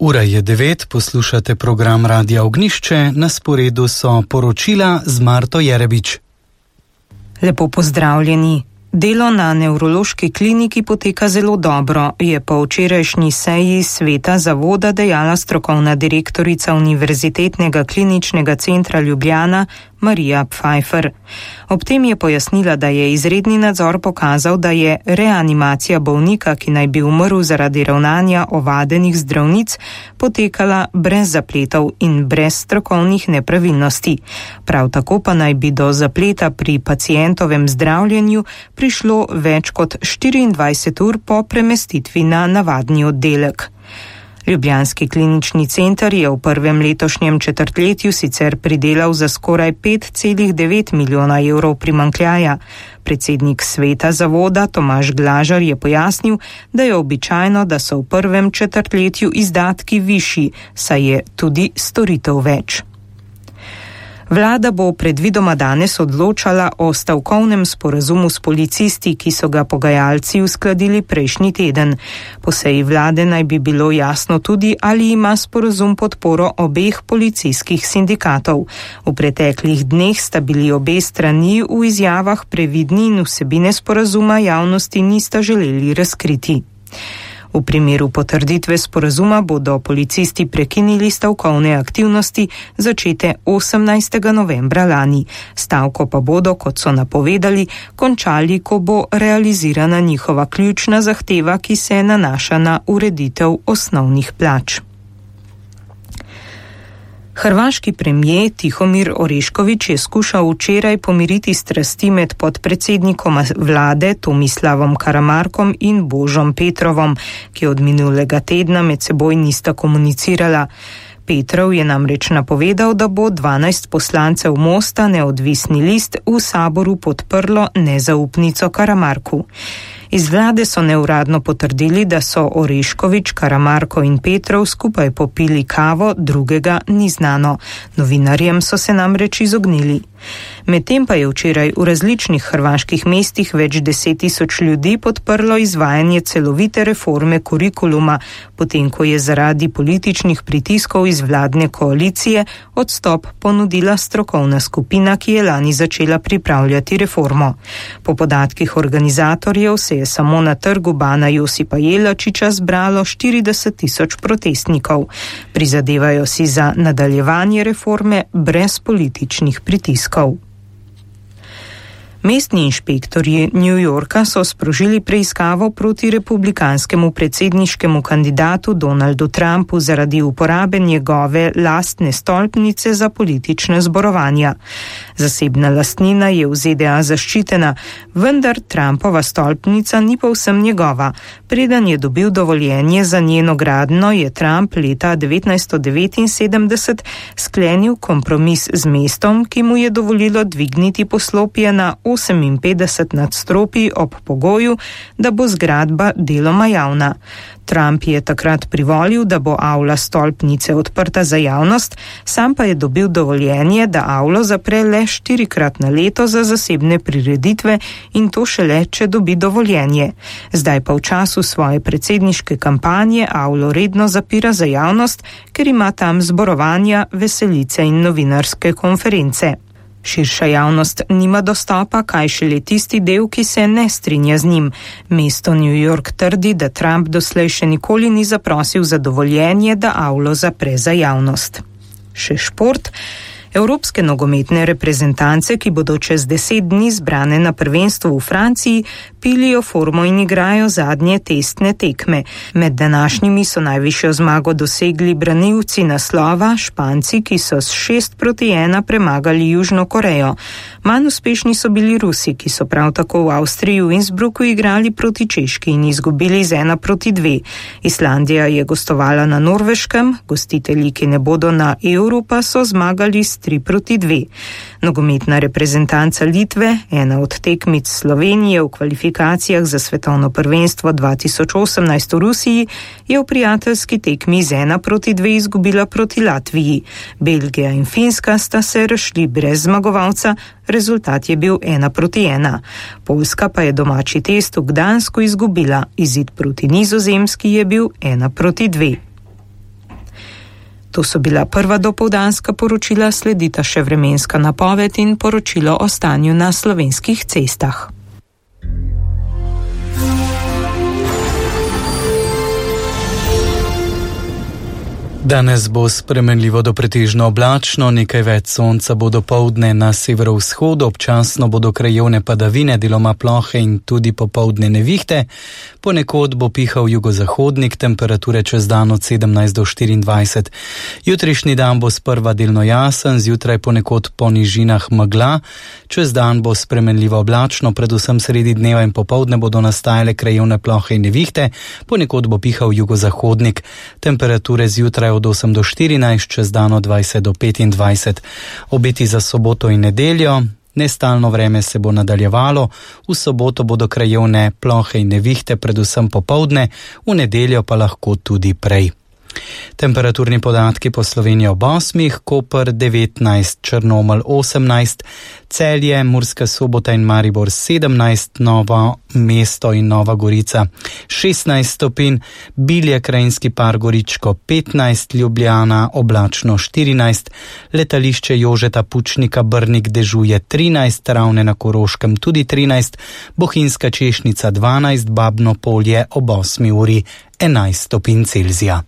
Ura je 9, poslušate program Radia Ognišče, na sporedu so poročila z Marto Jerebič. Lepo pozdravljeni. Delo na nevrološki kliniki poteka zelo dobro, je po včerajšnji seji sveta zavoda dejala strokovna direktorica Univerzitetnega kliničnega centra Ljubljana Marija Pfeiffer. Ob tem je pojasnila, da je izredni nadzor pokazal, da je reanimacija bolnika, ki naj bi umrl zaradi ravnanja ovadenih zdravnic, potekala brez zapletov in brez strokovnih nepravilnosti. Prav tako pa naj bi do zapleta pri pacientovem zdravljenju prišlo več kot 24 ur po premestitvi na navadni oddelek. Ljubljanski klinični center je v prvem letošnjem četrtletju sicer pridelal za skoraj 5,9 milijona evrov primanjkljaja. Predsednik sveta zavoda Tomaž Glažar je pojasnil, da je običajno, da so v prvem četrtletju izdatki višji, saj je tudi storitev več. Vlada bo predvidoma danes odločala o stavkovnem sporazumu s policisti, ki so ga pogajalci uskladili prejšnji teden. Po seji vlade naj bi bilo jasno tudi, ali ima sporazum podporo obeh policijskih sindikatov. V preteklih dneh sta bili obe strani v izjavah previdni in vsebine sporazuma javnosti nista želeli razkriti. V primeru potrditve sporazuma bodo policisti prekinili stavkovne aktivnosti začete 18. novembra lani. Stavko pa bodo, kot so napovedali, končali, ko bo realizirana njihova ključna zahteva, ki se nanaša na ureditev osnovnih plač. Hrvaški premijer Tihomir Orešković je skušal včeraj pomiriti strasti med podpredsednikom vlade Tomislavom Karamarkom in Božom Petrovom, ki od minulega tedna med seboj nista komunicirala. Petrov je namreč napovedal, da bo 12 poslancev Mosta neodvisni list v saboru podprlo nezaupnico Karamarku. Iz vlade so neuradno potrdili, da so Orešković, Karamarko in Petrov skupaj popili kavo, drugega ni znano. Novinarjem so se namreč izognili. Medtem pa je včeraj v različnih hrvaških mestih več 10.000 ljudi podprlo izvajanje celovite reforme kurikuluma, potem ko je zaradi političnih pritiskov iz vladne koalicije odstop ponudila strokovna skupina, ki je lani začela pripravljati reformo. Po podatkih organizatorjev se je samo na trgu Bana Josipa Jelačića zbralo 40.000 protestnikov. Prizadevajo si za nadaljevanje reforme brez političnih pritiskov. Mestni inšpektorji New Yorka so sprožili preiskavo proti republikanskemu predsedniškemu kandidatu Donaldu Trumpu zaradi uporabe njegove lastne stolpnice za politične zborovanja. Zasebna lastnina je v ZDA zaščitena, vendar Trumpova stolpnica ni povsem njegova. Preden je dobil dovoljenje za njeno gradnjo, je Trump leta 1979 sklenil kompromis z mestom, ki mu je dovolilo dvigniti poslopje na 58 nadstropij ob pogoju, da bo zgradba deloma javna. Trump je takrat privolil, da bo avla stolpnice odprta za javnost, sam pa je dobil dovoljenje, da avlo zapre le 4-krat na leto za zasebne prireditve in to šele, če dobi dovoljenje. Zdaj pa v času svoje predsedniške kampanje avlo redno zapira za javnost, ker ima tam zborovanja, veselice in novinarske konference. Širša javnost nima dostopa, kaj šele tisti del, ki se ne strinja z njim. Mesto New York trdi, da Trump doslej še nikoli ni zaprosil za dovoljenje, da avlo zapre za javnost. Še šport. Evropske nogometne reprezentance, ki bodo čez 10 dni zbrane na prvenstvu v Franciji, pilijo formo in igrajo zadnje testne tekme. Med današnjimi so najvišjo zmago dosegli branilci naslova, Španci, ki so s 6-1 premagali Južno Korejo. Manj uspešni so bili Rusi, ki so prav tako v Avstriji v Innsbrucku igrali proti Češki in izgubili z 1-2. Islandija je gostovala na Norveškem, gostitelji, ki ne bodo na Euru, pa so zmagali s 3-2. Nogometna reprezentanca Litve, ena od tekmic Slovenije v kvalifikacijah za svetovno prvenstvo 2018 v Rusiji, je v prijateljski tekmi z 1-2 izgubila proti Latviji. Belgija in Finska sta se razšli brez zmagovalca, rezultat je bil 1-1. Poljska pa je domači test v Gdansku izgubila, izid proti Nizozemski je bil 1-2. To so bila prva dopoldanska poročila, sledita še vremenska napoved in poročilo o stanju na slovenskih cestah. Danes bo spremenljivo do pretežno oblačno, nekaj več sonca bo dopoldne na severovzhodu, občasno bodo krajevne padavine, deloma plohe in tudi popoldne nevihte. Ponekod bo pihal jugozahodnik, temperature čez dan od 17 do 24. Jutrišnji dan bo sprva delno jasen, zjutraj ponekod po nižinah megla, čez dan bo spremenljivo oblačno, predvsem sredi dneva in popoldne bodo nastajale krajevne plohe in nevihte, ponekod bo pihal jugozahodnik, temperature zjutraj od 8 do 14, čez dan od 20 do 25. Obeti za soboto in nedeljo. Nestalno vreme se bo nadaljevalo, v soboto bodo krajevne plohe in nevihte, predvsem popoldne, v nedeljo pa lahko tudi prej. Temperaturni podatki po Sloveniji ob 8, Koper 19, Črnomelj 18, Celje, Murska Sobota in Maribor 17, Novo mesto in Nova Gorica 16 stopinj, Bilje, Krajinski par, Goričko 15, Ljubljana oblačno 14, letališče Jožeta Pučnika Brnik dežuje 13, Ravne na Koroškem tudi 13, Bohinjska Češnica 12, Babno Polje ob 8 uri 11 stopinj Celzija.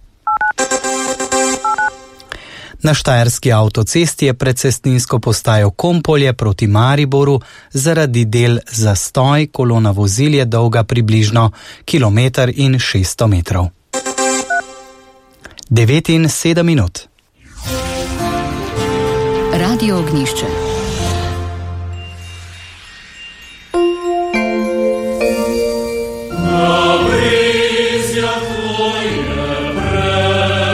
Na Štajerski avtocesti je pred cestninsko postajo Kompolje proti Mariboru zaradi del zastoj, kolona vozil je dolga približno 1,6 km. 9 in 7 minut. Radio Ognišče.